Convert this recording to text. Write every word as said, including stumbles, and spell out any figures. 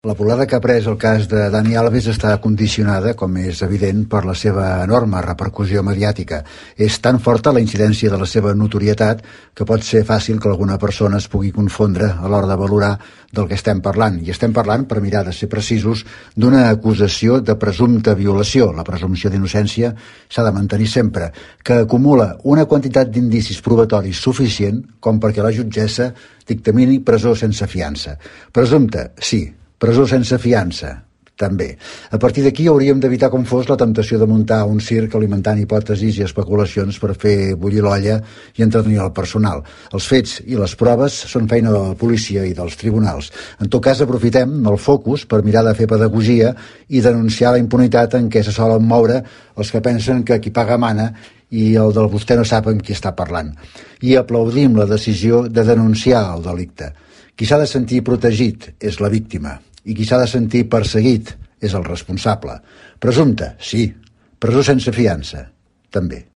La volada que ha pres el cas de Dani Alves està condicionada, com és evident, per la seva enorme repercussió mediàtica. És tan forta la incidència de la seva notorietat que pot ser fàcil que alguna persona es pugui confondre a l'hora de valorar del que estem parlant. I estem parlant, per mirar de ser precisos, d'una acusació de presumpta violació. La presumpció d'innocència s'ha de mantenir sempre, que acumula una quantitat d'indicis probatoris suficient com perquè la jutgessa dictamini presó sense fiança. Presumpte, sí. Presó sense fiança, també. A partir d'aquí hauríem d'evitar com fos la temptació de muntar un circ alimentant hipòtesis i especulacions per fer bullir l'olla i entretenir el personal. Els fets i les proves són feina de la policia i dels tribunals. En tot cas, aprofitem el focus per mirar de fer pedagogia i denunciar la impunitat en què se solen moure els que pensen que qui paga mana i el del vostè no sap amb qui està parlant. I aplaudim la decisió de denunciar el delicte. Qui s'ha de sentir protegit és la víctima i qui s'ha de sentir perseguit és el responsable. Presumpte, sí. Presó sense fiança, també.